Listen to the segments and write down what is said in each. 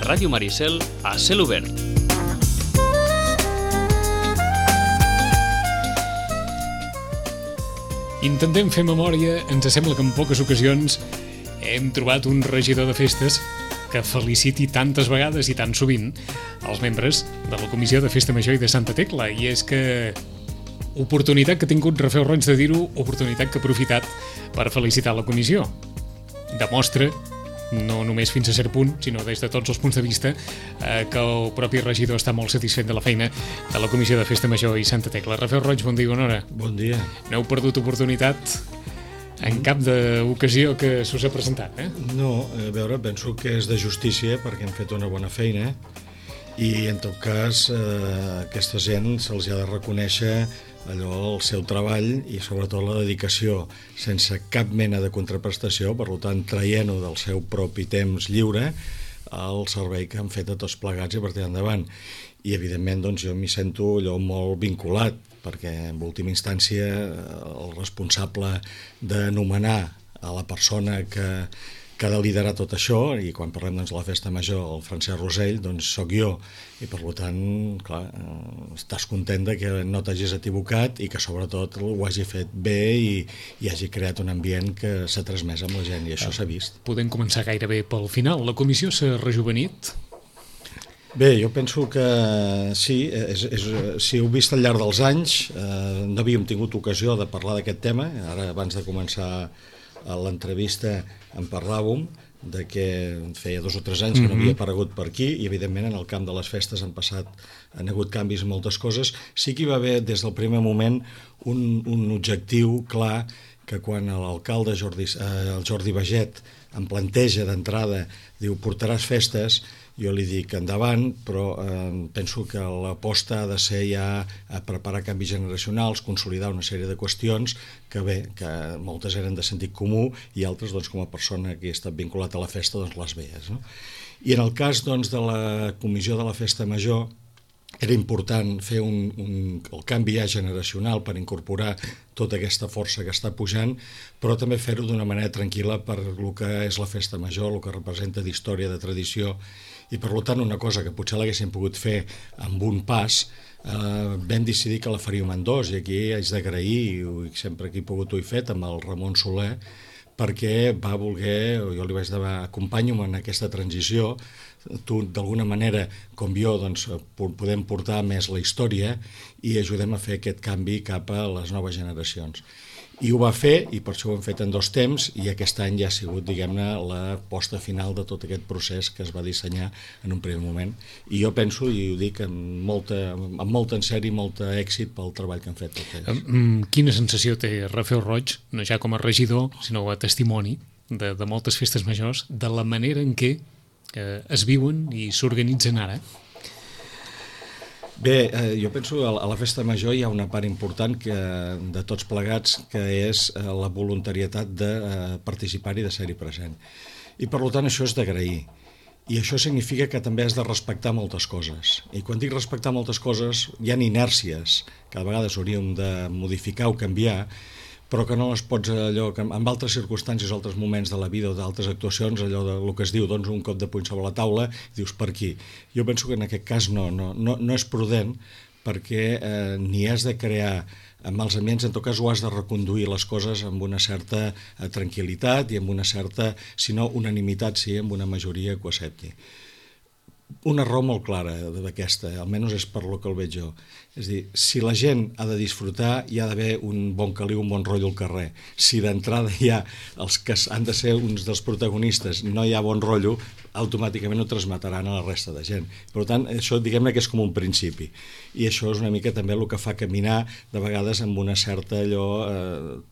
Ràdio Maricel a cel obert. Intentem fer memòria, ens sembla que en poques ocasions hem trobat un regidor de festes que feliciti tantes vegades i tan sovint els membres de la Comissió de Festa Major i de Santa Tecla. I és que oportunitat que ha tingut Rafel Roig de dir-ho, oportunitat que ha aprofitat per felicitar la comissió. Demostra, no només fins a cert punt, sinó des de tots els punts de vista, que el propi regidor està molt satisfet de la feina de la Comissió de Festa Major i Santa Tecla. Rafel Roig, bon dia i bona hora. Bon dia. No heu perdut oportunitat en cap d'ocasió que s'us ha presentat, eh? No, a veure, penso que és de justícia perquè hem fet una bona feina i en tot cas aquesta gent se'ls ha de reconèixer allò, el seu treball i sobretot la dedicació sense cap mena de contraprestació, per tant traient-ho del seu propi temps lliure al servei que han fet a tots plegats i a partir d'endavant. I evidentment doncs, jo m'hi sento allò molt vinculat perquè en última instància el responsable de nomenar a la persona que ha de liderar tot això, i quan parlem doncs, de la festa major, el Francesc Rosell, doncs sóc jo, i per tant, clar, estàs content de que no t'hagis equivocat i que sobretot ho hagi fet bé i hagi creat un ambient que s'ha transmès amb la gent, i això s'ha vist. Podem començar gairebé pel final. La comissió s'ha rejuvenit? Bé, jo penso que sí, si heu vist al llarg dels anys, no havíem tingut ocasió de parlar d'aquest tema, ara abans de començar l'entrevista en parlàvem de que feia 2 o 3 anys que no havia aparegut per aquí i evidentment en el camp de les festes han hagut canvis en moltes coses. Sí que hi va haver des del primer moment un objectiu clar que quan l'alcalde el Jordi Baget em planteja d'entrada, diu portaràs festes, jo li dic endavant, però penso que l'aposta ha de ser ja a preparar canvis generacionals, consolidar una sèrie de qüestions que bé, que moltes eren de sentit comú i altres, doncs, com a persona que ha estat vinculat a la festa, doncs les veies, no? I en el cas doncs, de la comissió de la festa major, era important fer el canvi ja generacional per incorporar tota aquesta força que està pujant, però també fer-ho d'una manera tranquil·la per el que és la festa major, el que representa d'història, de tradició, i per tant una cosa que potser l'haguéssim pogut fer amb un pas, vam decidir que la faríem en 2, i aquí haig d'agrair, i sempre que he pogut ho he fet, amb el Ramon Soler, perquè va voler, jo li vaig dir, acompanya'm en aquesta transició, tu d'alguna manera, com jo, doncs, podem portar més la història i ajudem a fer aquest canvi cap a les noves generacions. I ho va fer, i per això ho hem fet en 2 temps, i aquest any ja ha sigut, diguem-ne, la posta final de tot aquest procés que es va dissenyar en un primer moment. I jo penso, i ho dic amb molt encert i molt èxit pel treball que han fet tots ells. Quina sensació té Rafel Roig, no ja com a regidor, sinó a testimoni de moltes festes majors, de la manera en què es viuen i s'organitzen ara? Bé, jo penso que a la festa major hi ha una part important de tots plegats que és la voluntarietat de participar i de ser-hi present. I per tant això és d'agrair. I això significa que també has de respectar moltes coses. I quan dic respectar moltes coses, hi ha inèrcies que a vegades hauríem de modificar o canviar, però que no les pots allò, que en altres circumstàncies, altres moments de la vida o d'altres actuacions, allò del que es diu, doncs un cop de puny sobre la taula, dius per aquí. Jo penso que en aquest cas no és prudent, perquè ni has de crear mals ambients, en tot cas ho has de reconduir les coses amb una certa tranquil·litat i amb una certa, si no unanimitat, sí, amb una majoria que ho accepti. Una raó molt clara d'aquesta, almenys és per lo que el veig jo. És a dir, si la gent ha de disfrutar, hi ha d'haver un bon caliu, un bon rotllo al carrer. Si d'entrada hi ha els que han de ser uns dels protagonistes, no hi ha bon rotllo, automàticament ho transmetaran a la resta de gent. Per tant, això diguem-ne que és com un principi. I això és una mica també el que fa caminar de vegades amb una certa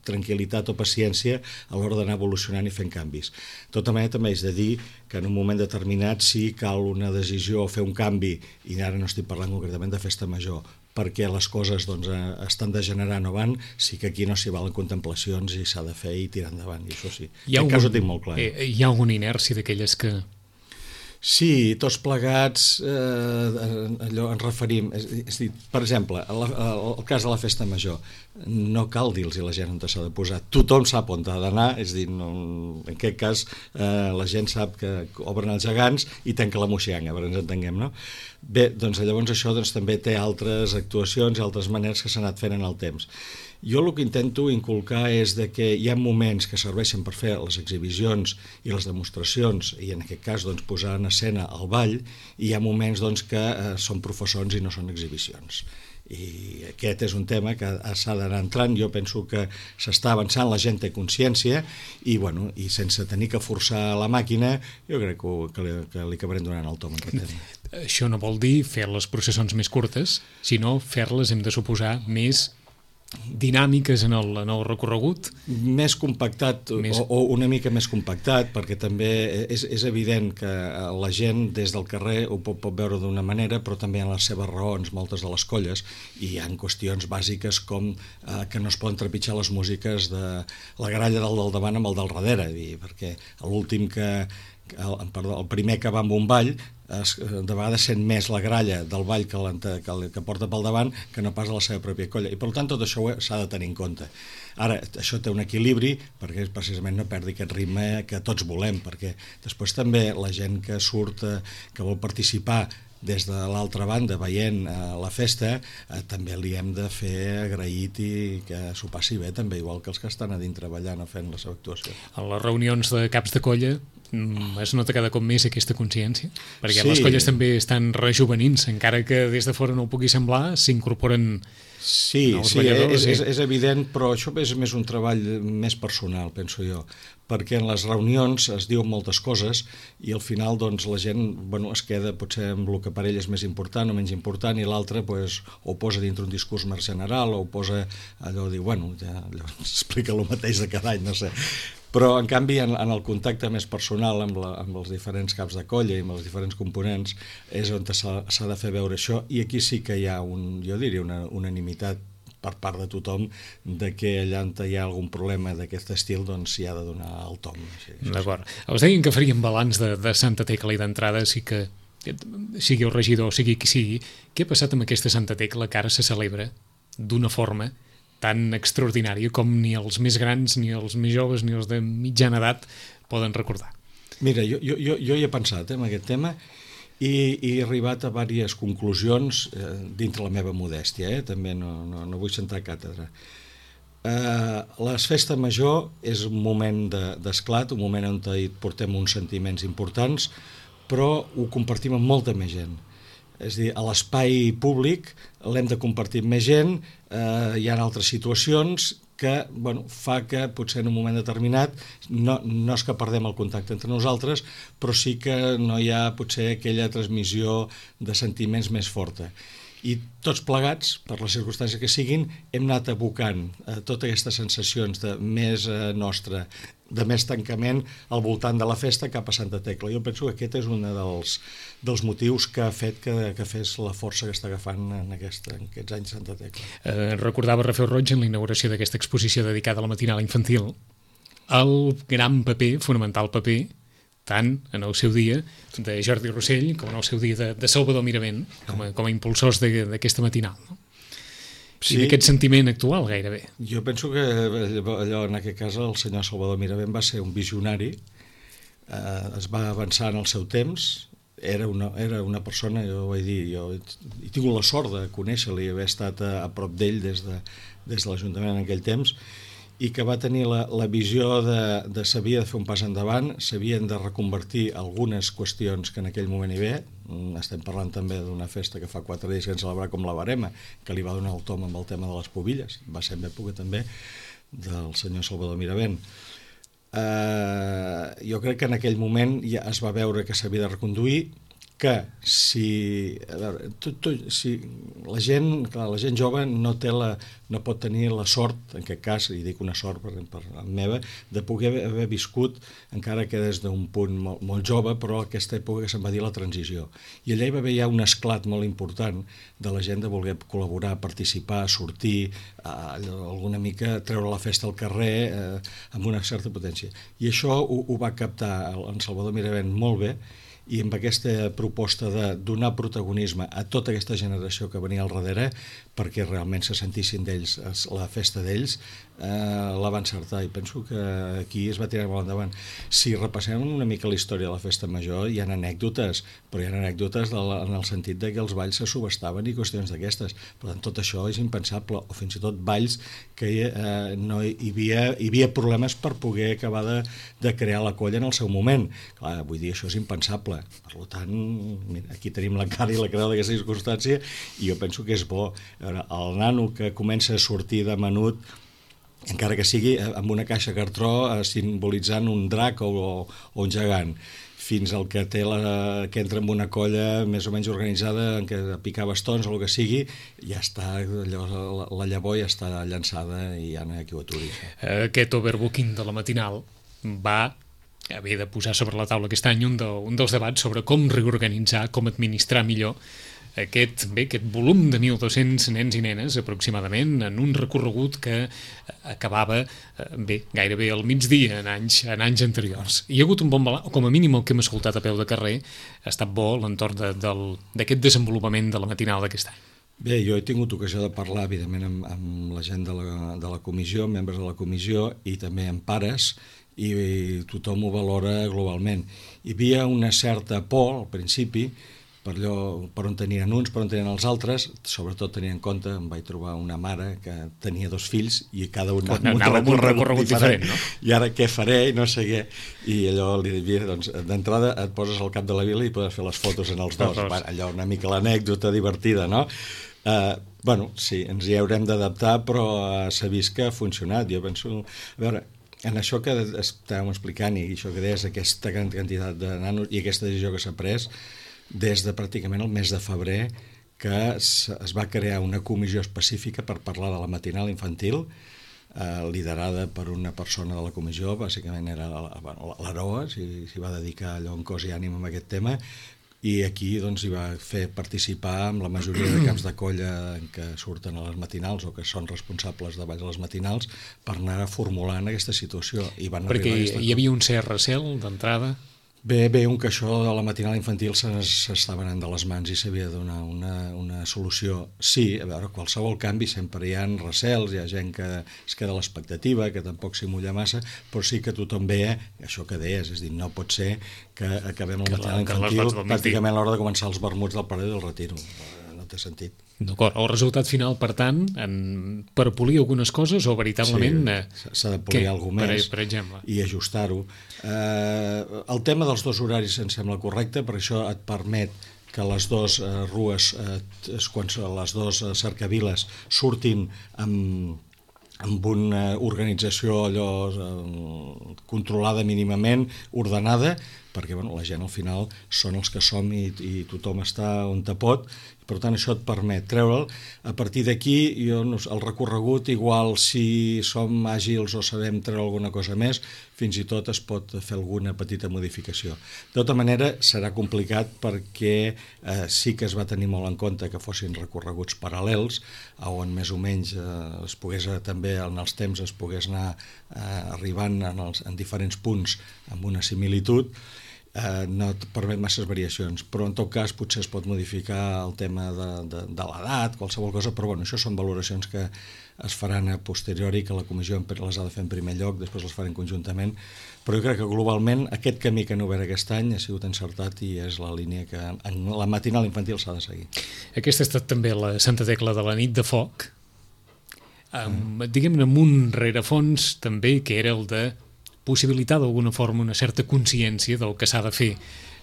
tranquil·litat o paciència a l'hora d'anar evolucionant i fent canvis. De tota manera, també és de dir que en un moment determinat sí cal una decisió o fer un canvi, i ara no estic parlant concretament de festa major, perquè les coses doncs, estan degenerant o van, sí que aquí no s'hi valen contemplacions i s'ha de fer i tirar endavant, i això sí. En aquest cas ho tinc molt clar. Hi ha alguna inèrcia d'aquelles que Sí, tots plegats, allò ens referim, és a dir, per exemple, el cas de la festa major, no cal dir-los a la gent on s'ha de posar, tothom sap on ha d'anar, és a dir, en aquest cas la gent sap que obren els gegants i tanca la moxianga, per ens entenguem, no? Bé, doncs llavors això també té altres actuacions i altres maneres que s'han anat fent en el temps. Jo el que intento inculcar és que hi ha moments que serveixen per fer les exhibicions i les demostracions, i en aquest cas doncs, posar en escena el ball, i hi ha moments doncs, que són professors i no són exhibicions. I aquest és un tema que s'ha d'anar entrant. Jo penso que s'està avançant, la gent té consciència i, bueno, i sense tenir que forçar la màquina, jo crec que li acabarem donant el tom en aquest tema. Això no vol dir fer les processons més curtes, sinó fer-les, hem de suposar, més dinàmiques en el recorregut? Més compactat, o una mica més compactat, perquè també és evident que la gent des del carrer ho pot veure d'una manera, però també en les seves raons, moltes de les colles, i hi ha qüestions bàsiques com que no es poden trepitjar les músiques de la gralla del davant amb el del darrere, perquè l'últim el primer que va amb un ball de vegades sent més la gralla del ball que porta pel davant que no pas a la seva pròpia colla, i per tant tot això s'ha de tenir en compte. Ara, això té un equilibri perquè precisament no perdi aquest ritme que tots volem, perquè després també la gent que surt, que vol participar des de l'altra banda veient la festa, també li hem de fer agraït i que s'ho passi bé també, igual que els que estan a dintre treballant o fent la seva actuació. A les reunions de caps de colla es nota cada cop més aquesta consciència? Perquè les colles també estan rejuvenint-se, encara que des de fora no ho pugui semblar, s'incorporen nous balladors. És evident, però això és més un treball més personal, penso jo, perquè en les reunions es diuen moltes coses i al final doncs, la gent es queda potser amb el que per ell és més important o menys important, i l'altre ho posa dintre un discurs més general o ho posa allò de dir, allò explica el mateix de cada any, no sé. Però, en canvi, en el contacte més personal amb els diferents caps de colla i amb els diferents components és on s'ha de fer veure això, i aquí sí que hi ha jo diria una unanimitat per part de tothom de que allà on hi ha algun problema d'aquest estil doncs s'hi ha de donar el tom. D'acord. Us deien que farien balanç de Santa Tecla i d'entrada, sigui el regidor o sigui qui sigui. Què ha passat amb aquesta Santa Tecla que ara se celebra d'una forma tan extraordinària com ni els més grans, ni els més joves, ni els de mitjana edat poden recordar? Mira, jo hi he pensat en aquest tema i he arribat a diverses conclusions dintre la meva modèstia, també no vull sentar càtedra. La festa major és un moment d'esclat, un moment on hi portem uns sentiments importants, però ho compartim amb molta més gent. És a dir, a l'espai públic l'hem de compartir amb més gent, hi ha altres situacions que fa que potser en un moment determinat no és que perdem el contacte entre nosaltres, però sí que no hi ha potser aquella transmissió de sentiments més forta. I tots plegats, per les circumstàncies que siguin, hem anat abocant totes aquestes sensacions de més nostra, de més tancament al voltant de la festa cap a Santa Tecla. Jo penso que aquest és un dels motius que ha fet que fes la força que està agafant en aquests anys Santa Tecla. Recordava Rafael Roig en la inauguració d'aquesta exposició dedicada a la matinal infantil el gran paper, fonamental paper, tant en el seu dia de Jordi Rossell com en el seu dia de Salvador Miravent com a impulsors d'aquesta matinal, no? Sí. I d'aquest sentiment actual gairebé. Jo penso que allò, en aquest cas el senyor Salvador Miravent va ser un visionari, es va avançar en el seu temps, era una persona, jo ho vaig dir, jo he tingut la sort de conèixer-lo i haver estat a prop d'ell des de l'Ajuntament en aquell temps, i que va tenir la visió de s'havia de fer un pas endavant, s'havien de reconvertir algunes qüestions que en aquell moment hi ve. Estem parlant també d'una festa que fa 4 dies que ens celebrar com la Barema, que li va donar el tom amb el tema de les pobilles, va ser en època també del senyor Salvador Miravent. Jo crec que en aquell moment ja es va veure que s'havia de reconduir, que si la gent jove no pot tenir la sort, en aquest cas, i dic una sort per meva, de poder haver viscut, encara que des d'un punt molt jove, però aquesta època que se'n va dir la transició. I allà hi va haver ja un esclat molt important de la gent de voler col·laborar, participar, sortir, alguna mica treure la festa al carrer amb una certa potència. I això ho va captar en Salvador Miravent molt bé, i amb aquesta proposta de donar protagonisme a tota aquesta generació que venia al darrere perquè realment se sentissin d'ells la festa d'ells, la va encertar, i penso que aquí es va tirar molt endavant. Si repassem una mica la història de la festa major, hi ha anècdotes, però hi ha anècdotes en el sentit de que els balls se subestaven i qüestions d'aquestes. Per tant, tot això és impensable, o fins i tot balls que no hi havia problemes per poder acabar de crear la colla en el seu moment. Clar, vull dir, això és impensable. Per tant, mira, aquí tenim la cara i la creu d'aquesta circumstància, i jo penso que és bo. El nano que comença a sortir de menut, encara que sigui amb una caixa cartró simbolitzant un drac o un gegant, fins al que que entra en una colla més o menys organitzada en què picar bastons o el que sigui, ja està, la llavor ja està llançada i ja no hi ha qui ho aturi. Aquest overbooking de la matinal va haver de posar sobre la taula aquest any un dels debats sobre com reorganitzar, com administrar millor aquest volum de 1.200 nens i nenes aproximadament en un recorregut que acabava gairebé al migdia en anys anteriors. Hi ha hagut un bon balanç, o com a mínim el que hem escoltat a peu de carrer ha estat bo l'entorn d'aquest desenvolupament de la matinal d'aquest any. Bé, jo he tingut ocasió de parlar, evidentment, amb la gent de la comissió, membres de la comissió, i també amb pares, i tothom ho valora globalment. Hi havia una certa por, al principi, per on tenien uns, per on tenien els altres, sobretot tenint en compte, em vaig trobar una mare que tenia 2 fills i cada un anava amb un recorregut diferent, no? I ara què faré? I no sé què. I allò li diria, doncs, d'entrada et poses al cap de la vila i podes fer les fotos en els dos. Allò una mica l'anècdota divertida, no? Bueno, sí, ens hi haurem d'adaptar, però s'ha vist que ha funcionat. Jo penso, a veure, en això que estàvem explicant i això que deies, aquesta quantitat de nanos i aquesta decisió que s'ha pres, des de pràcticament el mes de febrer que es va crear una comissió específica per parlar de la matinal infantil, liderada per una persona de la comissió, bàsicament era l'Aroa, s'hi va dedicar allò en cos i ànima amb aquest tema, i aquí doncs hi va fer participar amb la majoria de caps de colla que surten a les matinals o que són responsables de balls a les matinals per anar formulant aquesta situació. Perquè hi havia un cert recel d'entrada? Bé, que això de la matinal infantil s'estava anant de les mans i s'havia de donar una solució. Sí, a veure, qualsevol canvi sempre hi ha recels, hi ha gent que es queda a l'expectativa, que tampoc s'hi mulla massa, però sí que tothom veia això que deies, és a dir, no pot ser que acabem la matinal infantil pràcticament a l'hora de començar els vermuts del Parer del Retiro. No té sentit. D'acord, el resultat final, per tant, per polir algunes coses o veritablement... Sí, s'ha de polir alguna més per exemple, i ajustar-ho. El tema dels 2 horaris em sembla correcte, per això et permet que les 2 rues, quan les 2 cercaviles surtin amb una organització allò controlada mínimament, ordenada, perquè la gent al final són els que som i tothom està on te pot, per tant això et permet treure'l. A partir d'aquí, el recorregut, igual si som àgils o sabem treure alguna cosa més, fins i tot es pot fer alguna petita modificació. De tota manera, serà complicat perquè sí que es va tenir molt en compte que fossin recorreguts paral·lels, on més o menys es pogués també en els temps es pogués anar arribant en diferents punts amb una similitud. No et permet masses variacions, però en tot cas potser es pot modificar el tema de l'edat, qualsevol cosa, però bueno, això són valoracions que es faran a posteriori, que la comissió les ha de fer en primer lloc, després les farem conjuntament, però jo crec que globalment aquest camí que han obert aquest any ha sigut encertat i és la línia que en la matinal infantil s'ha de seguir. Aquesta ha estat també la Santa Tecla de la nit de foc, diguem-ne amb un rerefons també que era el de possibilitar d'alguna forma una certa consciència del que s'ha de fer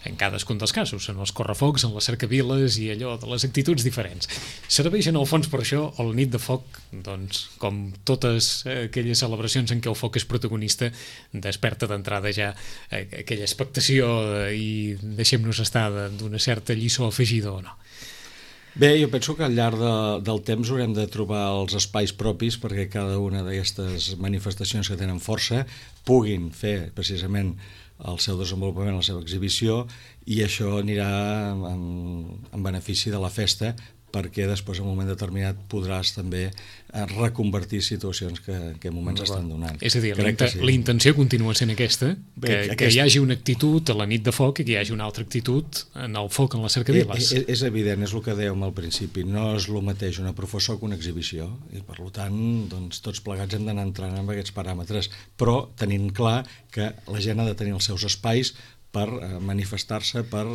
en cadascun dels casos, en els correfocs, en les cercaviles i allò de les actituds diferents. Serveix en el fons per això el nit de foc, doncs, com totes aquelles celebracions en què el foc és protagonista, desperta d'entrada ja aquella expectació i deixem-nos estar d'una certa lliçó afegida o no. Bé, jo penso que al llarg del temps haurem de trobar els espais propis perquè cada una d'aquestes manifestacions que tenen força puguin fer precisament el seu desenvolupament, la seva exhibició, i això anirà en benefici de la festa perquè després en un moment determinat podràs també reconvertir situacions que en moments estan donant. És a dir, la intenció continua sent aquesta, que hi hagi una actitud a la nit de foc i que hi hagi una altra actitud en el foc en les cercaviles. És evident, és el que dèiem al principi, no és el mateix una professor que una exhibició, i per tant doncs, tots plegats hem d'anar entrant amb aquests paràmetres, però tenint clar que la gent ha de tenir els seus espais per manifestar-se, per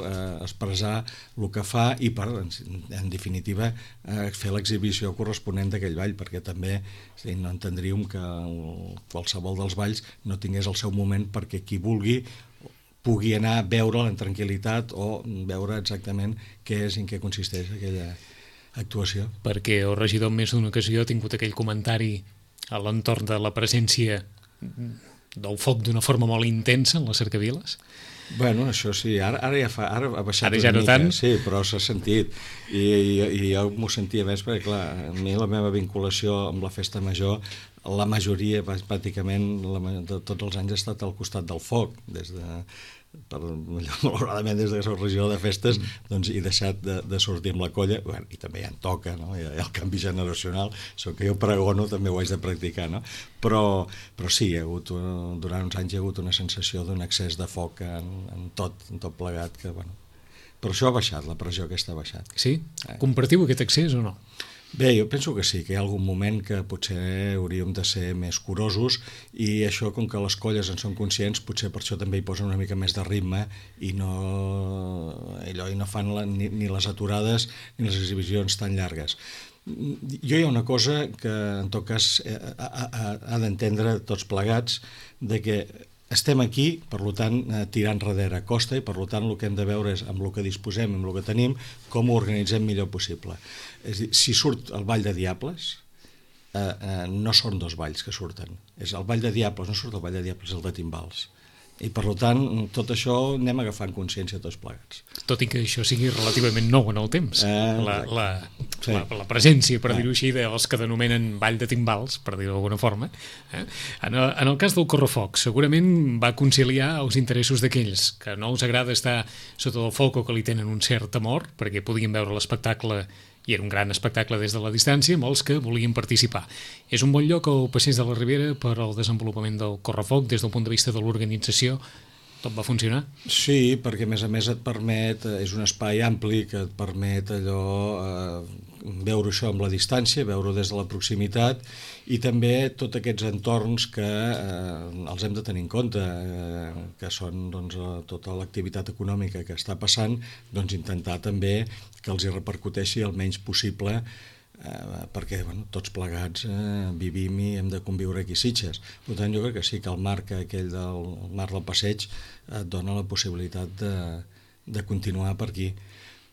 expressar el que fa i per, en definitiva, fer l'exhibició corresponent d'aquell ball, perquè també no entendríem que qualsevol dels balls no tingués el seu moment perquè qui vulgui pugui anar a veure'l en tranquil·litat o veure exactament què és i en què consisteix aquella actuació. Perquè el regidor en més d'una ocasió ha tingut aquell comentari a l'entorn de la presència del foc d'una forma molt intensa en les cercaviles. Bueno, això sí, ara ha baixat ara ja una no mica, tant. sí, però s'ha sentit i jo m'ho sentia més perquè, clar, a mi la meva vinculació amb la festa major, la majoria, pràcticament, de tots els anys ha estat al costat del foc, malauradament des que soc regidor de festes doncs he deixat de sortir amb la colla, bueno, i també ja en toca, no? Hi ha el canvi generacional, això que jo pregono també ho haig de practicar, no? Però sí, durant uns anys hi ha hagut una sensació d'un excés de foc en tot plegat, que bueno, però això ha baixat, la pressió aquesta ha baixat. Sí? Compartiu aquest accés o no? Bé, jo penso que sí, que hi ha algun moment que potser hauríem de ser més curosos i això, com que les colles en són conscients, potser per això també hi posen una mica més de ritme i no fan ni les aturades ni les exhibicions tan llargues. Jo hi ha una cosa que en tot cas ha d'entendre tots plegats, de que estem aquí, per tant, tirant darrere costa i per tant el que hem de veure és amb el que disposem, amb el que tenim, com ho organitzem millor possible. És a dir, si surt el Ball de Diables, no són dos balls que surten. És el Ball de Diables, no surt el Ball de Diables, és el de Timbals. I per tant, tot això anem agafant consciència tots plegats. Tot i que això sigui relativament nou en el temps. La presència, per dir-ho així, dels que denominen Ball de Timbals, per dir-ho d'alguna forma. En el cas del Correfoc, segurament va conciliar els interessos d'aquells que no els agrada estar sota del foc o que li tenen un cert temor, perquè podien veure l'espectacle i era un gran espectacle des de la distància, amb els que volien participar. És un bon lloc el Passeig de la Ribera per al desenvolupament del Correfoc des del punt de vista de l'organització. Tot va funcionar? Sí, perquè a més et permet, és un espai ampli que et permet allò veure això amb la distància, veure-ho des de la proximitat i també tots aquests entorns que els hem de tenir en compte, que són doncs, tota l'activitat econòmica que està passant, doncs intentar també que els hi repercuteixi el menys possible perquè tots plegats vivim i hem de conviure aquí a Sitges. Per tant, jo crec que sí que el marc aquell del marc del passeig et dona la possibilitat de continuar per aquí.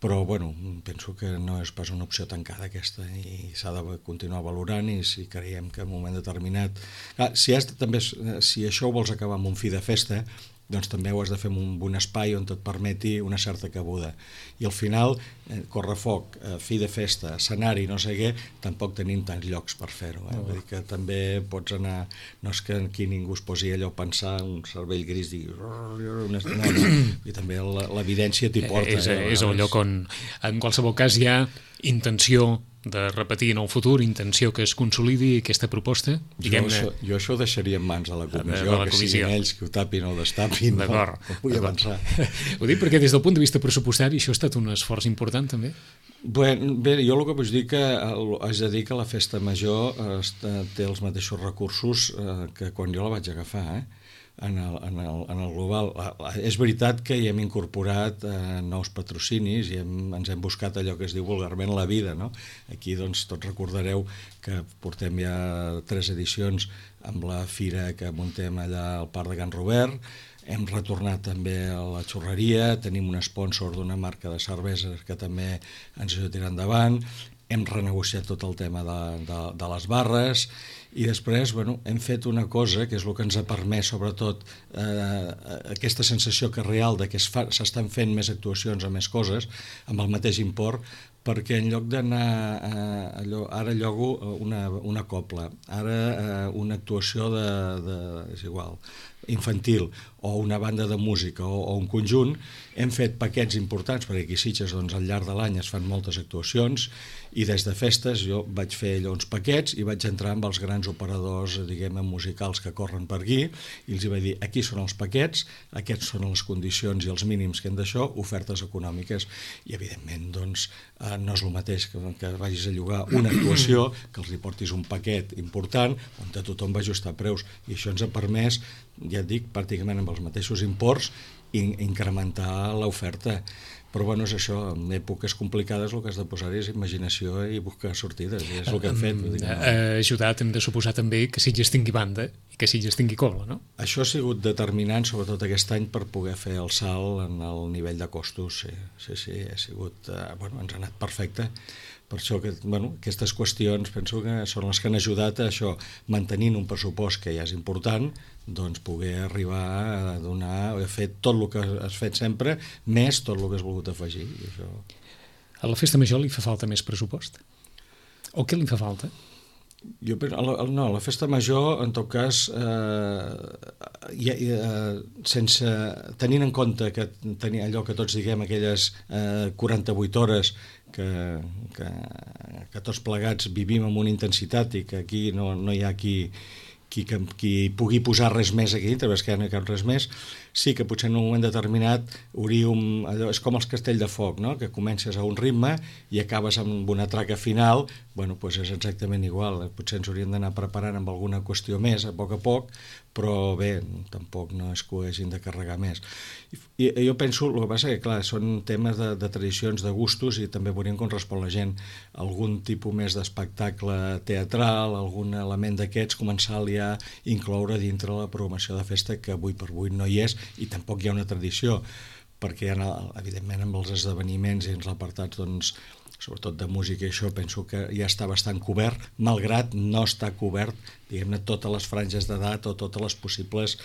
Però penso que no és pas una opció tancada aquesta i s'ha de continuar valorant i si creiem que en un moment determinat... Si això ho vols acabar amb un fi de festa, doncs també ho has de fer en un espai on et permeti una certa cabuda. I al final, Correfoc, fi de festa, escenari, no sé què, tampoc tenim tants llocs per fer-ho. Vull dir que també pots anar... No és que aquí ningú es posi allò a pensar, un cervell gris digui... I també l'evidència t'hi porta. És el lloc on, en qualsevol cas, hi ha intenció de repetir en el futur, intenció que es consolidi aquesta proposta. Jo això ho deixaria en mans de la comissió, que siguin ells que ho tapin o destapin. D'acord. Vull avançar. Ho dic perquè des del punt de vista pressupostari això ha estat un esforç important també. Bé, jo el que vull dir que haig de dir que la festa major té els mateixos recursos que quan jo la vaig agafar, en el global. És veritat que hi hem incorporat nous patrocinis i ens hem buscat allò que es diu vulgarment la vida, no? Aquí doncs tots recordareu que portem ja 3 edicions amb la fira que muntem allà al Parc de Can Robert, hem retornat també a la xurreria, tenim un sponsor d'una marca de cerveses que també ens ajudarà endavant, hem renegociat tot el tema de les barres i després hem fet una cosa que és el que ens ha permès sobretot aquesta sensació que real de que s'estan fent més actuacions o més coses amb el mateix import, perquè en lloc d'anar ara llogo una copla, ara una actuació és igual, infantil o una banda de música o un conjunt, hem fet paquets importants, perquè aquí a Sitges al llarg de l'any es fan moltes actuacions, i des de festes jo vaig fer allò uns paquets i vaig entrar amb els grans operadors, diguem-ne, musicals que corren per aquí, i els vaig dir, aquí són els paquets, aquests són les condicions i els mínims que hem d'això, ofertes econòmiques, i evidentment doncs no és el mateix que vagis a llogar una actuació, que els hi portis un paquet important on tothom va ajustar preus, i això ens ha permès, ja et dic, pràcticament amb els mateixos imports, incrementar l'oferta. Però bueno, és això, en èpoques complicades el que has de posar és imaginació i buscar sortides, és el que hem fet. Ha ajudat, hem de suposar també, que Sitges tingui banda i que Sitges tingui cola, no? Això ha sigut determinant, sobretot aquest any, per poder fer el salt en el nivell de costos. Sí, ha sigut, bueno, ens ha anat perfecte. Per això que, bueno, aquestes qüestions penso que són les que han ajudat a això, mantenint un pressupost que ja és important, doncs poder arribar a donar, a fer tot el que has fet sempre, més tot el que has volgut afegir. I això... A la festa major li fa falta més pressupost? O què li fa falta? Jo penso, no, la festa major, en tot cas, sense tenint en compte que tenir allò que tots diguem, aquelles 48 hores que tots plegats vivim amb una intensitat i que aquí no hi ha qui pugui posar res més aquí dintre, perquè no hi cap res més, sí que potser en un moment determinat hauríem, allò, és com els castell de foc, no? Que comences a un ritme i acabes amb una traca final, bueno, doncs és exactament igual, potser ens hauríem d'anar preparant amb alguna qüestió més a poc, però bé, tampoc no és que ho hagin de carregar més. I jo penso, el que passa que clar, són temes de tradicions, de gustos, i també veurem com respon la gent. Algun tipus més d'espectacle teatral, algun element d'aquests, començar-li a incloure dintre la programació de festa, que avui per avui no hi és, i tampoc hi ha una tradició, perquè evidentment amb els esdeveniments i els apartats, doncs, sobretot de música i això, penso que ja està bastant cobert, malgrat no està cobert, diguem-ne, totes les franges d'edat o totes les possibles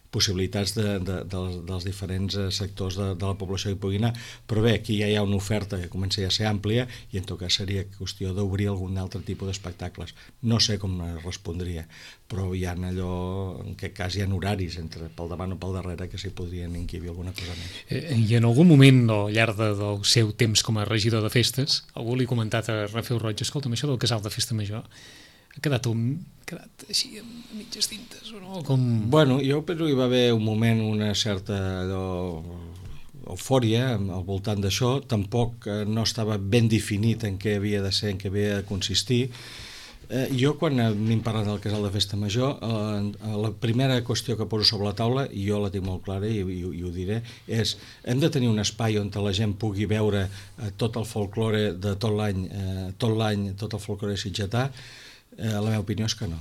possibilitats dels diferents sectors de la població que pugui anar, però bé, aquí ja hi ha una oferta que comença ja a ser àmplia i en tot cas seria qüestió d'obrir algun altre tipus d'espectacles. No sé com respondria, però hi ha allò, en aquest cas hi ha horaris pel davant o pel darrere que s'hi podrien inquibir alguna cosa més. I en algun moment al llarg del seu temps com a regidor de festes, algú li ha comentat a Rafeu Roig, escolta'm, això del casal de festa major ha quedat així a mitges tintes o no? Bueno, jo penso que hi va haver un moment, una certa eufòria al voltant d'això, tampoc no estava ben definit en què havia de ser, en què havia de consistir. Jo quan m'hem parlat del casal de festa major, la primera qüestió que poso sobre la taula, i jo la tinc molt clara i ho diré, és hem de tenir un espai on la gent pugui veure tot el folklore de tot l'any, tot el folklore sitgetà. La meva opinió és que no.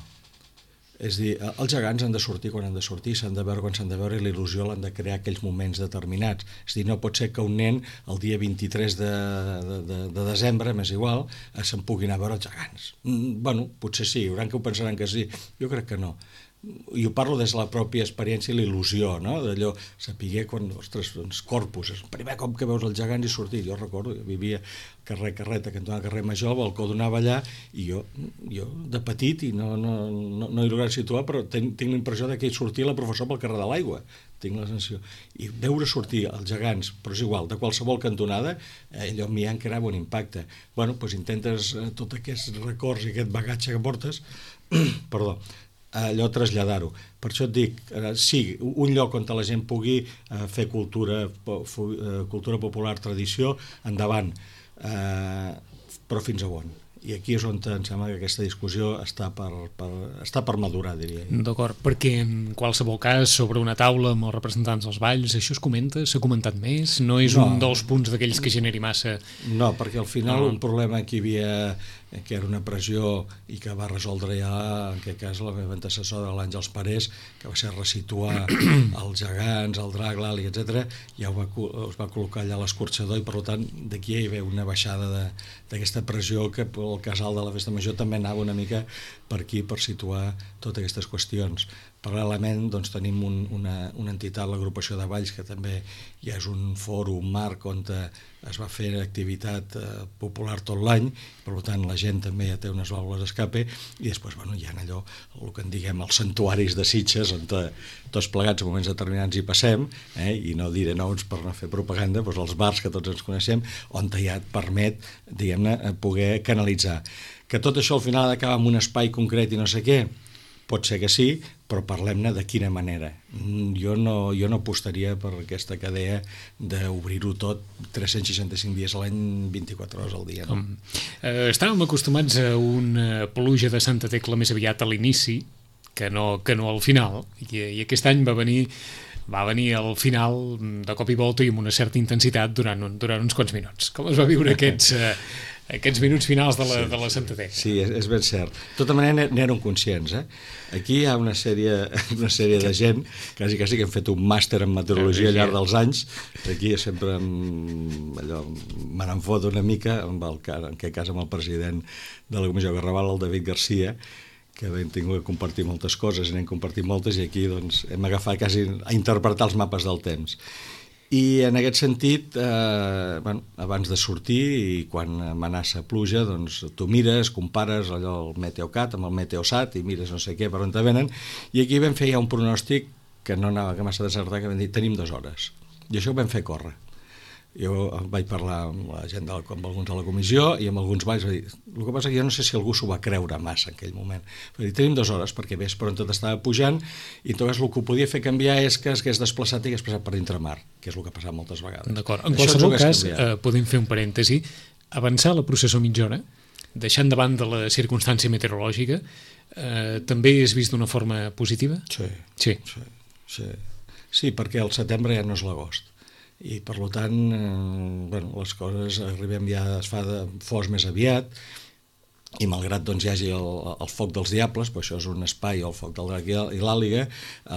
És a dir, els gegants han de sortir quan han de sortir, s'han de veure quan s'han de veure, i l'il·lusió l'han de crear aquells moments determinats. És a dir, no pot ser que un nen el dia 23 de desembre, m'és igual, se'n pugui anar a veure els gegants. Bueno, potser sí, hi haurà que ho pensaran que sí. Jo crec que no. I ho parlo des de la pròpia experiència i l'il·lusió, no? D'allò, saber quan, ostres, doncs, Corpus, és el primer cop que veus els gegants i sortir. Jo recordo, jo vivia carrer Carreta, cantonada carrer Major, el balcó donava allà, i jo de petit, i no he lograt situar, però tinc la impressió que sortia la professora pel carrer de l'Aigua, tinc la sensació. I veure sortir els gegants, però és igual, de qualsevol cantonada, allò a mi ja em creava un impacte. Bueno, doncs intentes tots aquests records i aquest bagatge que portes, perdó, allò traslladar-ho. Per això et dic, sí, un lloc on la gent pugui fer cultura popular, tradició, endavant, però fins a on? I aquí és on em sembla que aquesta discussió està per madurar, diria. D'acord, perquè en qualsevol cas sobre una taula amb els representants dels balls això es comenta? S'ha comentat més? No és un dels punts d'aquells que generi massa... No, perquè al final un problema que hi havia, que era una pressió i que va resoldre ja, en aquest cas, la meva antecessora, l'Àngels Parés, que va ser resituar els gegants, el drac, l'àliga, etc. Ja es va col·locar allà l'escorxador i, per tant, d'aquí hi havia una baixada d'aquesta pressió que el casal de la festa major també anava una mica per aquí per situar totes aquestes qüestions. Paral·lelament doncs, tenim una entitat, l'agrupació de Valls, que també ja és un fòrum marc on es va fer activitat popular tot l'any, per tant la gent també ja té unes vàlvules d'escape, i després hi ha allò, el que en diguem els santuaris de Sitges, on tots plegats en moments determinats hi passem, i no diré noms per no fer propaganda, doncs els bars que tots ens coneixem, on ja et permet, diguem-ne, poder canalitzar. Que tot això al final ha d'acabar en un espai concret i no sé què, pot ser que sí, però parlem-ne de quina manera. Jo no apostaria per aquesta cadea d'obrir-ho tot 365 dies a l'any, 24 hores al dia. No? Estàvem acostumats a una pluja de Santa Tecla més aviat a l'inici que no al final, i aquest any va venir al final de cop i volta i amb una certa intensitat durant uns quants minuts. Com es va viure aquests minuts finals de la Santa Tecla? Sí, és ben cert. De tota manera n'érem conscients. Aquí hi ha una sèrie de gent, quasi que hem fet un màster en meteorologia al llarg dels anys. Aquí sempre me n'en fot una mica, en aquest cas amb el president de la Comissió Garrabal, el David Garcia, que hem tingut que compartir moltes coses, i n'hem compartit moltes, i aquí doncs, hem agafat quasi a interpretar els mapes del temps. I en aquest sentit, abans de sortir i quan amenaça pluja, doncs tu mires, compares allò el Meteocat amb el Meteosat i mires no sé què per on te venen, i aquí vam fer ja un pronòstic que no anava massa desertat, que vam dir tenim 2 hores, i això ho vam fer córrer. Jo vaig parlar amb la gent amb alguns de la comissió i amb alguns vaig dir, el que passa que jo no sé si algú s'ho va creure massa en aquell moment. Vaig dir, tenim 2 hores perquè ves per on tot estava pujant, i en tot cas el que ho podia fer canviar és que es hagués desplaçat i hagués passat per dintre-mar, que és el que ha passat moltes vegades. D'acord. En qualsevol cas, podem fer un parèntesi, avançar la processó mitja hora, deixant davant de la circumstància meteorològica, també és vist d'una forma positiva? Sí, perquè el setembre ja no és l'agost. I per tant, les coses arribem ja, es fa de fos més aviat, i malgrat doncs hi hagi el foc dels diables, però això és un espai, el foc del drac i l'àliga,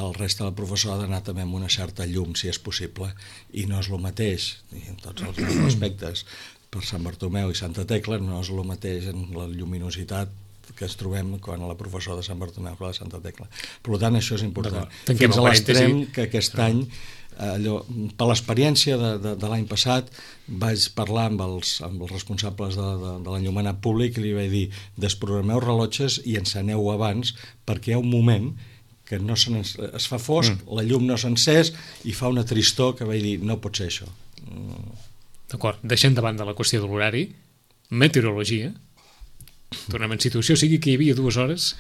el reste del professor ha d'anar també amb una certa llum, si és possible, i no és el mateix, i en tots els aspectes, per Sant Bartomeu i Santa Tecla, no és el mateix en la lluminositat que ens trobem quan a la professor de Sant Bartomeu que la de Santa Tecla. Per tant, això és important. Fins a l'extrem que aquest any, per l'experiència de l'any passat, vaig parlar amb els responsables de l'enllumenat públic i li vaig dir, desprogrameu rellotges i enceneu abans, perquè hi ha un moment que es fa fosc, la llum no s'ha encès i fa una tristor que vaig dir, no pot ser això. D'acord, deixem davant de la qüestió de l'horari, meteorologia, tornem en situació, sigui que hi havia 2 hores,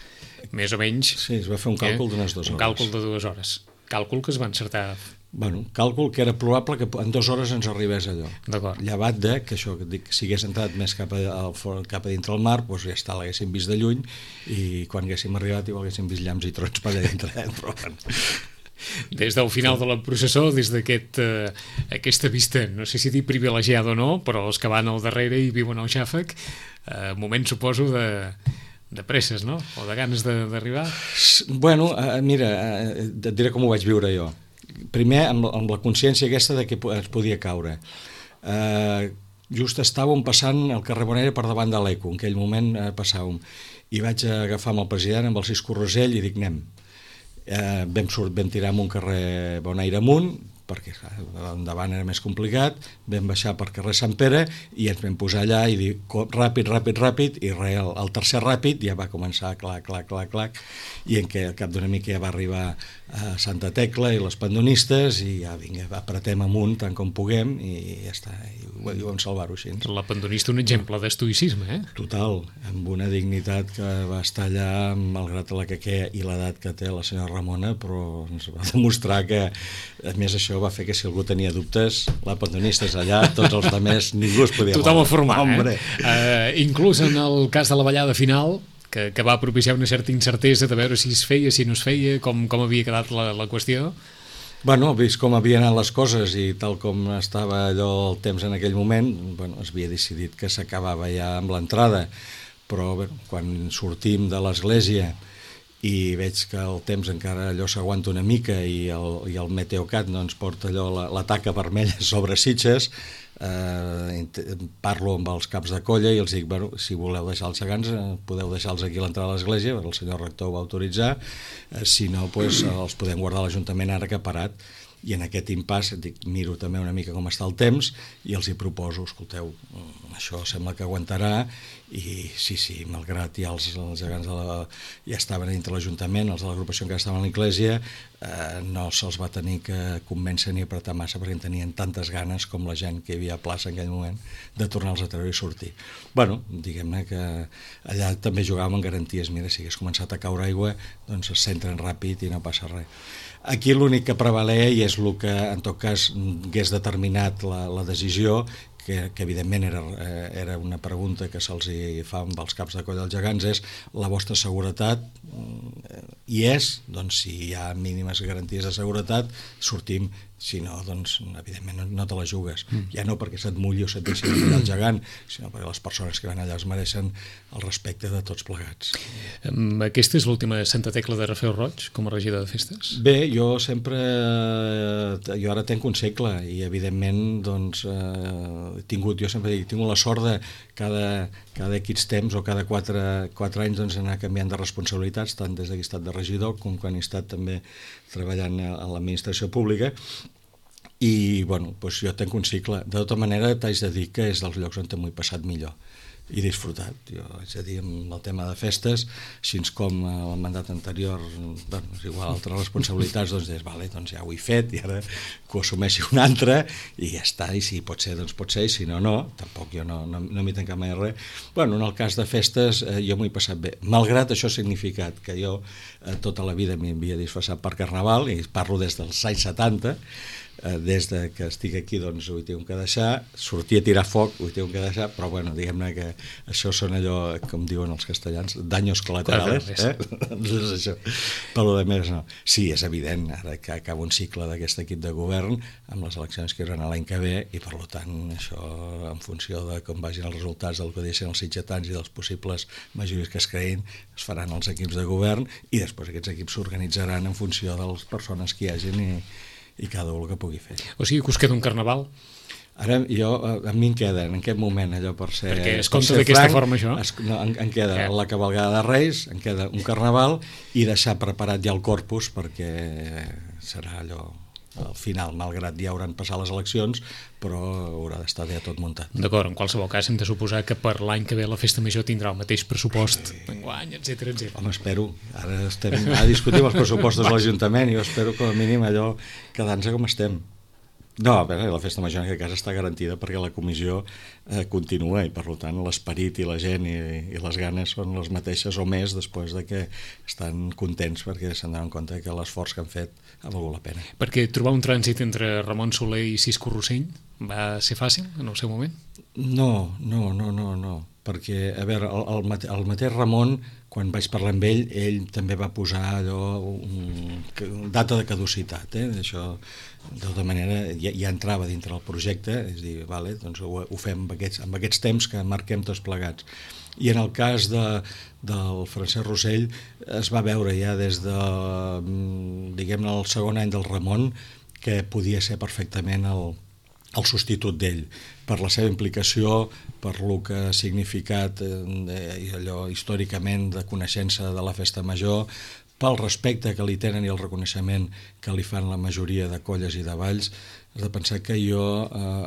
més o menys... Sí, es va fer un càlcul d'unes 2 hores. Un càlcul de 2 hores. Càlcul que es va encertar... Càlcul que era probable que en 2 hores ens arribés allò. D'acord. Llevat de que això, que si hagués entrat més cap a dintre el mar, doncs ja està, l'haguéssim vist de lluny, i quan haguéssim arribat igual haguéssim vist llamps i trons per allà dintre. Però des del final de la processó, des d'aquesta vista, no sé si dir privilegiada o no, però els que van al darrere i viuen al xàfec, moment, suposo, de presses, no? O de ganes d'arribar? Bueno, mira, et diré com ho vaig viure jo. Primer, amb la consciència aquesta de que es podia caure. Just estàvem passant el carrer Bonera per davant de l'Eco, en aquell moment passàvem, i vaig agafar amb el president, amb el Cisco Rosell, i dic, anem. Vam tirar amb un carrer Bonaire amunt, perquè endavant era més complicat, vam baixar per carrer Sant Pere i ens vam posar allà i dir ràpid, i el tercer ràpid ja va començar clac, i en què al cap d'una mica ja va arribar a Santa Tecla i les pandonistes, i ja vinga, apretem amunt tant com puguem, i ja està, i ho vam salvar-ho així. La pandonista, un exemple d'estoïcisme, Total, amb una dignitat que va estar allà, malgrat la que i l'edat que té la senyora Ramona, però ens va demostrar que, a més, això va fer que si algú tenia dubtes, la pandonista és allà, tots els altres ningú es podia tothom a formar, inclús en el cas de la ballada final, que va propiciar una certa incertesa de veure si es feia, si no es feia, com havia quedat la qüestió. Bueno, vist com havien anat les coses i tal com estava allò el temps en aquell moment, es havia decidit que s'acabava ja amb l'entrada, però quan sortim de l'església i veig que el temps encara allò s'aguanta una mica i el Meteocat no ens porta allò la taca vermella sobre Sitges, parlo amb els caps de colla i els dic, bueno, si voleu deixar els gegants podeu deixar-los aquí a l'entrada de l'església, el senyor rector ho va autoritzar, si no doncs, els podem guardar a l'Ajuntament ara que ha parat. I en aquest impàs miro també una mica com està el temps i els hi proposo, escolteu, això sembla que aguantarà, i sí, malgrat ja els gegants ja estaven dintre l'Ajuntament, els de l'agrupació encara estaven a l'Església, no se'ls va tenir que convèncer ni apretar massa perquè en tenien tantes ganes com la gent que hi havia a plaça en aquell moment de tornar-los a treure i sortir. Bueno, diguem-ne que allà també jugàvem amb garanties, mira, si hagués començat a caure aigua, doncs es centren ràpid i no passa res. Aquí l'únic que prevalia, i és el que en tot cas hagués determinat la decisió, que evidentment era una pregunta que se'ls fa amb els caps de colla dels gegants, és la vostra seguretat, i és, doncs si hi ha mínimes garanties de seguretat, sortim, si no, doncs evidentment no te la jugues, ja no perquè se't mulli o se't deixi de mullar el gegant, sinó perquè les persones que van allà es mereixen el respecte de tots plegats. Aquesta és l'última Santa Tecla de Rafel Roig com a regidor de festes? Bé, jo ara tenc un segle i evidentment doncs jo sempre dic, tinc la sort de cada X temps o cada 4 anys doncs anar canviant de responsabilitats, tant des que he estat de regidor com quan he estat també treballant a l'administració pública. I bueno, doncs jo tenc un cicle. De tota manera t'haig de dir que és dels llocs on m'ho he passat millor i disfrutat. Jo haig de dir, amb el tema de festes, així com el mandat anterior, bueno, és igual, altres responsabilitats, doncs deies, vale, doncs ja ho he fet i ara que ho assumeixi un altre i ja està, i si pot ser, doncs pot ser, i si no, no, tampoc jo no m'hi tancat mai res. Bueno, en el cas de festes jo m'ho he passat bé, malgrat això ha significat que jo tota la vida m'hi havia disfressat per Carnaval, i parlo des dels anys 70, des de que estic aquí doncs ho he tingut que deixar, sortir a tirar foc ho he tingut que deixar, però bueno, diguem-ne que això són allò, com diuen els castellans, daños colaterales, doncs això, per lo de més no. Sí, és evident, ara que acaba un cicle d'aquest equip de govern amb les eleccions que hi haurà l'any que ve, i per tant això en funció de com vagin els resultats del que deixen els sitgetans i dels possibles majories que es creïn, es faran els equips de govern i després aquests equips s'organitzaran en funció de les persones que hi hagin i cada un el que pugui fer. O sigui que us queda un Carnaval? Ara a mi em queda en aquest moment allò per ser perquè es compta d'aquesta forma això? Em queda la cavalgada de Reis, em queda un Carnaval i deixar preparat ja el corpus perquè serà allò al final, malgrat ja hauran passat les eleccions, però haurà d'estar ja tot muntat. D'acord, en qualsevol cas hem de suposar que per l'any que ve la Festa Major tindrà el mateix pressupost d'enguany, etcètera. Home, espero. Ara estem a discutir els pressupostos de l'Ajuntament i jo espero com a mínim allò quedant-se com estem. No, a veure, la Festa Major en aquest cas està garantida perquè la comissió continua i per tant l'esperit i la gent i les ganes són les mateixes o més després de que estan contents perquè s'han donat compte que l'esforç que han fet ha valgut la pena. Perquè trobar un trànsit entre Ramon Soler i Cisco Rossell va ser fàcil en el seu moment? No, perquè a veure, el mateix Ramon, quan vaig parlar amb ell també va posar allò data de caducitat, això de tota manera ja entrava dintre del projecte, és a dir, vale, doncs ho fem amb aquests temps que marquem tots plegats. I en el cas del Francesc Rossell es va veure ja des de, diguem-ne, el segon any del Ramon que podia ser perfectament el substitut d'ell, per la seva implicació, per lo que ha significat allò històricament de coneixença de la Festa Major, pel respecte que li tenen i el reconeixement que li fan la majoria de colles i de balls. Has de pensar que jo,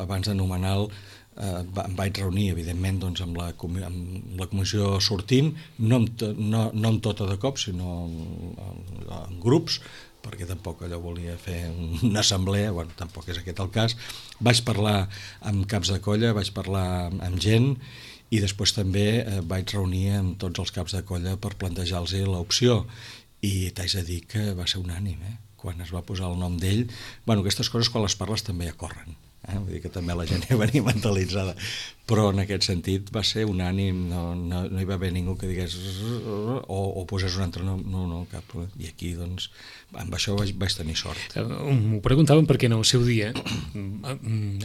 abans d'anomenar-lo, em vaig reunir, evidentment, doncs, amb la comissió sortint, no amb tota de cop, sinó en grups, perquè tampoc allò volia fer una assemblea, bueno, tampoc és aquest el cas. Vaig parlar amb caps de colla, vaig parlar amb gent i després també vaig reunir amb tots els caps de colla per plantejar-los l'opció i t'haig de dir que va ser unànime, quan es va posar el nom d'ell. Bueno, aquestes coses quan les parles també ja corren, vull dir que també la gent ja venia mentalitzada, però en aquest sentit va ser unànim, no hi va haver ningú que digués o posés un altre nom, no, cap problema. I aquí doncs amb això vaig tenir sort. M'ho preguntàvem perquè en el seu dia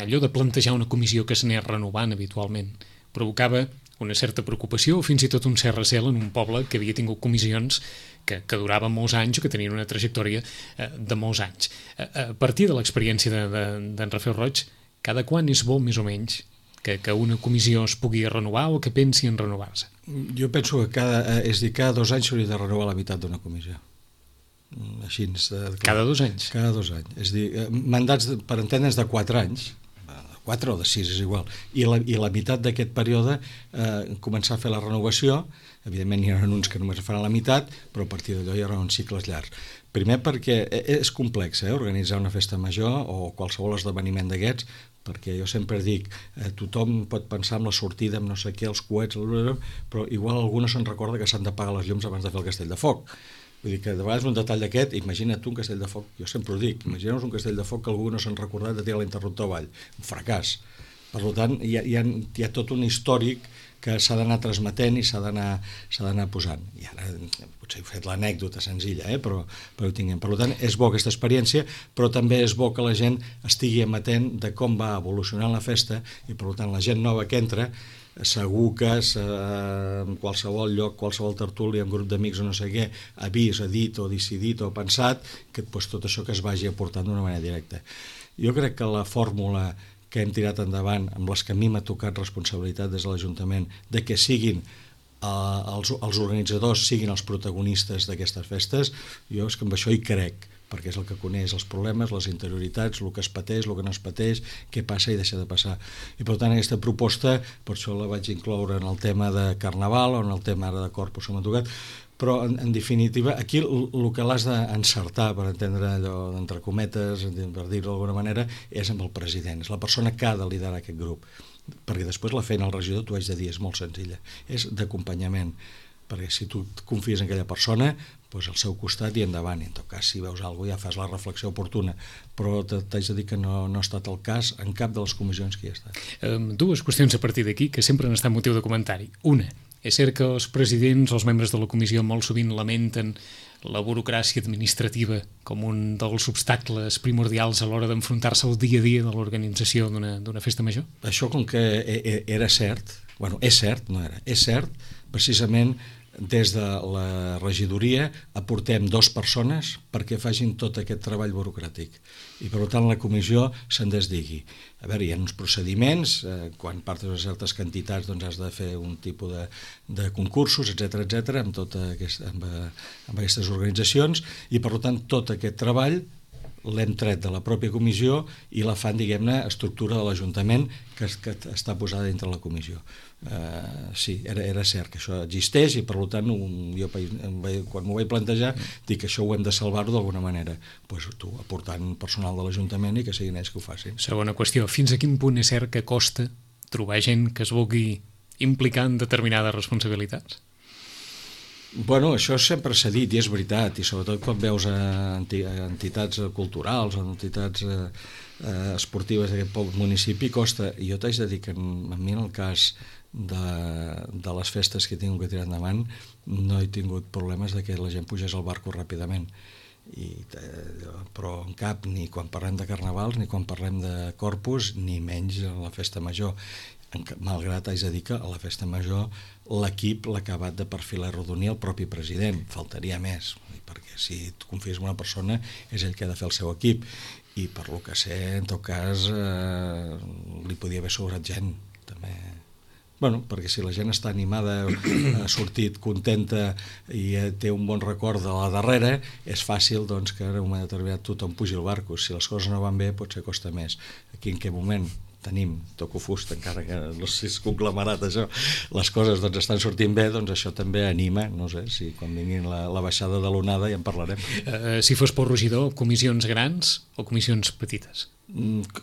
allò de plantejar una comissió que s'anés renovant habitualment provocava una certa preocupació o fins i tot un cert recel en un poble que havia tingut comissions que duraven molts anys o que tenien una trajectòria de molts anys. A partir de l'experiència d'en Rafel Roig, Cada quan és bo, més o menys, que una comissió es pugui renovar o que pensi en renovar-se? Jo penso que cada 2 anys s'hauria de renovar la meitat d'una comissió. Així, cada 2 anys? Cada 2 anys. És a dir, mandats, per entendre'ns, de 4 anys, 4 o de 6 és igual, i la meitat d'aquest període començar a fer la renovació. Evidentment hi ha uns que només faran la meitat, però a partir d'allò hi haurà uns cicles llargs. Primer perquè és complex organitzar una festa major o qualsevol esdeveniment d'aquests, perquè jo sempre dic, tothom pot pensar en la sortida, amb no sé què, els coets, però igual algú no se'n recorda que s'han d'apagar les llums abans de fer el castell de foc. Vull dir que de vegades un detall d'aquest, imagina't tu un castell de foc, jo sempre ho dic, imagineu-vos un castell de foc que algú no s'han recordat de tirar l'interruptor avall, un fracàs. Per tant, hi ha tot un històric que s'ha d'anar transmetent i s'ha d'anar posant. I ara potser he fet l'anècdota senzilla, però ho tinguem. Per tant, és bo aquesta experiència, però també és bo que la gent estigui amatent de com va evolucionant la festa i, per tant, la gent nova que entra segur que en qualsevol lloc, qualsevol tertúlia, un grup d'amics o no sé què, ha vist, ha dit o decidit o pensat que tot això que es vagi aportant d'una manera directa. Jo crec que la fórmula que hem tirat endavant, amb les que a mi m'ha tocat responsabilitat des de l'Ajuntament, de que siguin els organitzadors, siguin els protagonistes d'aquestes festes, jo és que amb això hi crec, perquè és el que coneix els problemes, les interioritats, el que es pateix, el que no es pateix, què passa i deixa de passar. I per tant aquesta proposta, per això la vaig incloure en el tema de Carnaval o en el tema ara de Corpus que m'ha tocat, però en definitiva aquí el que l'has d'encertar, per entendre allò d'entre cometes, per dir-ho d'alguna manera, és amb el president, és la persona que ha de liderar aquest grup, perquè després la feina al regidor, t'ho haig de dir, és molt senzilla, és d'acompanyament, perquè si tu et confies en aquella persona, doncs al seu costat i endavant, i en tot cas si veus alguna cosa ja fas la reflexió oportuna, però t'haig de dir que no ha estat el cas en cap de les comissions que hi ha estat. Dues qüestions a partir d'aquí que sempre han estat motiu de comentari. Una, és cert que els presidents, els membres de la comissió molt sovint lamenten la burocràcia administrativa com un dels obstacles primordials a l'hora d'enfrontar-se al dia a dia de l'organització d'una festa major? Això com que era cert, és cert, precisament des de la regidoria aportem 2 persones perquè facin tot aquest treball burocràtic i per tant la comissió se'n desdigui. A veure, hi ha uns procediments, quan partes de certes quantitats doncs has de fer un tipus de concursos, etc amb aquestes organitzacions i per tant tot aquest treball l'hem tret de la pròpia comissió i la fan, diguem-ne, estructura de l'Ajuntament que està posada dintre la comissió. Sí, era cert que això existeix i per tant jo quan m'ho vaig plantejar dic que això ho hem de salvar-ho d'alguna manera, doncs tu aportant personal de l'Ajuntament i que siguin ells que ho facin. Segona qüestió, fins a quin punt és cert que costa trobar gent que es vulgui implicar en determinades responsabilitats? Bueno, això sempre s'ha dit i és veritat, i sobretot quan veus entitats culturals o entitats esportives d'aquest municipi costa. I jo t'haig de dir que a mi en el cas de les festes que he tingut que tirar endavant no he tingut problemes de que la gent pugés al barco ràpidament, però en cap, ni quan parlem de carnavals ni quan parlem de Corpus ni menys a la festa major, malgrat haig de dir que a la festa major l'equip l'ha acabat de perfilar i arrodonir el propi president, faltaria més, perquè si et confies en una persona és ell que ha de fer el seu equip i per lo que sé, en tot cas li podia haver sobrat gent també. Bueno, perquè si la gent està animada, ha sortit contenta i té un bon record de la darrera, és fàcil doncs, que en un moment determinat tothom pugi al barco. Si les coses no van bé, potser costa més. Aquí en què moment tenim, toco fusta, encara que no sé si és conglomerat això, les coses doncs, estan sortint bé, doncs això també anima, no sé, si quan vinguin la baixada de l'onada ja en parlarem. Si fos pel regidor, comissions grans o comissions petites?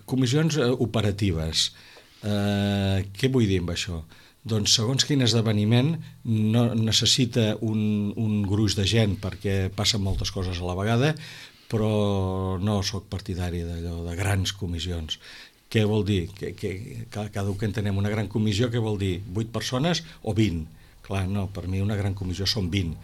Comissions operatives. Què vull dir amb això? Doncs segons quin esdeveniment no necessita un gruix de gent perquè passen moltes coses a la vegada, però no sóc partidari d'allò de grans comissions. Què vol dir? Cada un que entenem una gran comissió, què vol dir? 8 persones o 20? Clar, no, per mi una gran comissió són 20.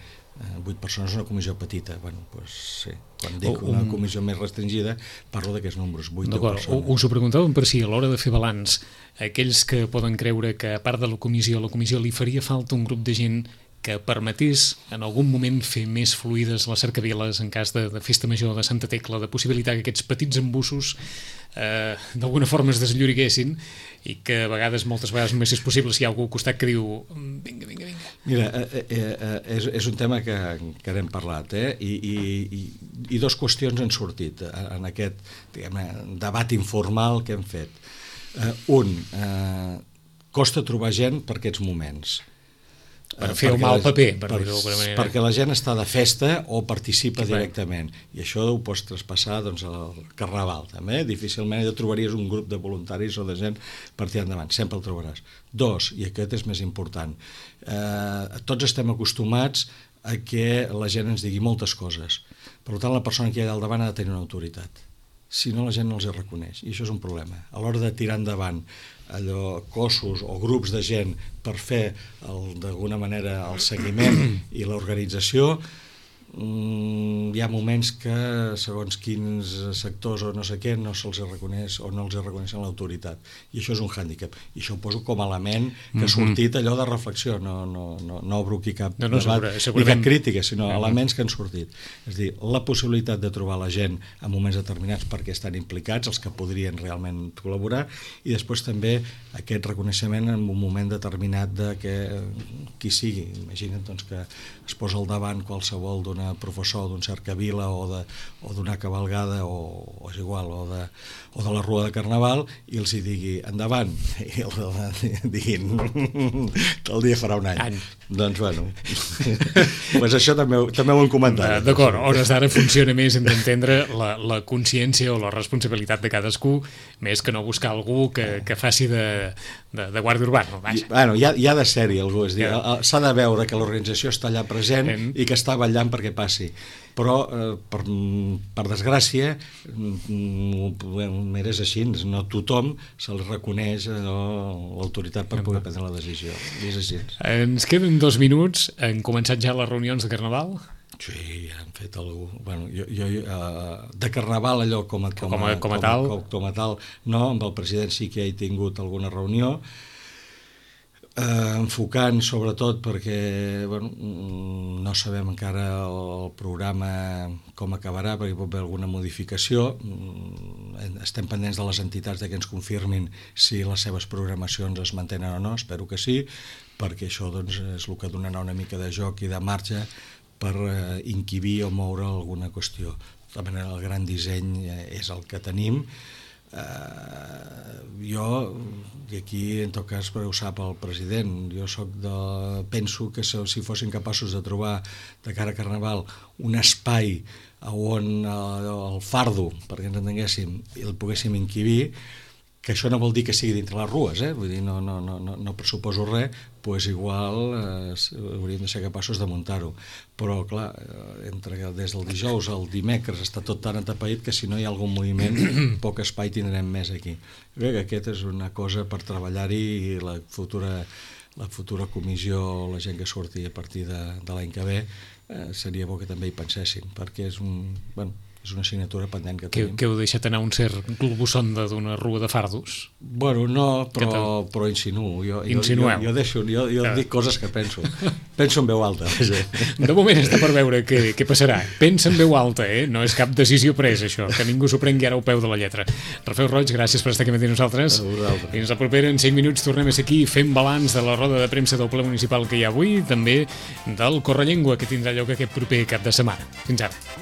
8 persones és una comissió petita. Bueno, doncs sí. Quan dic una comissió més restringida, parlo d'aquests números, 8 o 10 persones. Us ho preguntàvem per si a l'hora de fer balanç, aquells que poden creure que a part de la comissió li faria falta un grup de gent que permetés en algun moment fer més fluides les cercaviles en cas de festa major de Santa Tecla, de possibilitar que aquests petits embussos d'alguna forma es deslloriguessin i que a vegades, moltes vegades només és possible si hi ha algú al costat que diu vinga. Mira, és un tema que n'hem parlat, i dues qüestions han sortit en aquest debat informal que hem fet. Costa trobar gent per aquests moments. Per fer el mal paper, per dir-ho d'alguna manera. Perquè la gent està de festa o participa directament. I això ho pots traspassar al Carnaval, també. Difícilment trobaries un grup de voluntaris o de gent per tirar endavant. Sempre el trobaràs. Dos, i aquest és més important, tots estem acostumats a que la gent ens digui moltes coses. Per tant, la persona que hi ha al davant ha de tenir una autoritat. Si no, la gent no els reconeix, i això és un problema. A l'hora de tirar endavant cossos o grups de gent per fer d'alguna manera el seguiment i l'organització, hi ha moments que segons quins sectors o no sé què no se'ls reconeix o no els reconeixen l'autoritat, i això és un hàndicap, i això ho poso com a element que ha sortit allò de reflexió, no obro aquí cap debat ni cap crítica, sinó elements que han sortit. És a dir, la possibilitat de trobar la gent en moments determinats perquè estan implicats, els que podrien realment col·laborar, i després també aquest reconeixement en un moment determinat de que qui sigui, imagina't que es posa al davant qualsevol d'un professor d'un cercavila o d'una cavalgada o és igual, o de la rua de Carnaval, i els hi digui endavant, i diguin el dia farà un any. Doncs bueno, pues això també ho hem comentat. D'acord, a hores d'ara funciona més, hem d'entendre la consciència o la responsabilitat de cadascú, més que no buscar algú que faci de guàrdia urbana. Bueno, hi ha de ser-hi algú, és dir, s'ha de veure que l'organització està allà present i que està vetllant perquè passi, però per desgràcia és així, no tothom se li reconeix l'autoritat per poder prendre la decisió, és així. Ens queden 2 minuts, han començat ja les reunions de Carnaval? Sí, han fet algú. Bueno, jo de Carnaval allò com a tal no, amb el president sí que he tingut alguna reunió, enfocant sobretot perquè no sabem encara el programa com acabarà, perquè hi pot haver alguna modificació. Estem pendents de les entitats que ens confirmin si les seves programacions es mantenen o no, espero que sí, perquè això és el que donarà una mica de joc i de marge per inquibir o moure alguna qüestió. De tota manera, el gran disseny és el que tenim. Jo, i aquí en tot cas ho sap el president, penso que si fossin capaços de trobar de cara a Carnaval un espai on el fardo, perquè ens entenguéssim, el poguéssim inquibir, que això no vol dir que sigui dintre les rues, vull dir, no pressuposo res, doncs igual hauríem de ser capaços de muntar-ho, però clar, des del dijous al dimecres està tot tan atapeït que si no hi ha algun moviment poc espai tindrem més aquí. Jo crec que aquesta és una cosa per treballar-hi, i la futura comissió, la gent que surti a partir de l'any que ve, seria bo que també hi pensessin, perquè és una assignatura pendent que tenim. Que heu deixat anar un cert globusonda d'una rua de fardos? Bueno, no, però insinuo. Insinueu. Jo dic coses que penso. Penso en veu alta. De moment està per veure què passarà. Pensa en veu alta, no és cap decisió presa, això, que ningú s'ho prengui ara al peu de la lletra. Rafel Roig, gràcies per estar aquí amb nosaltres. Fins la propera, en 5 minuts tornem a ser aquí fent balanç de la roda de premsa del ple municipal que hi ha avui, també del Correllengua, que tindrà lloc aquest proper cap de setmana. Fins ara.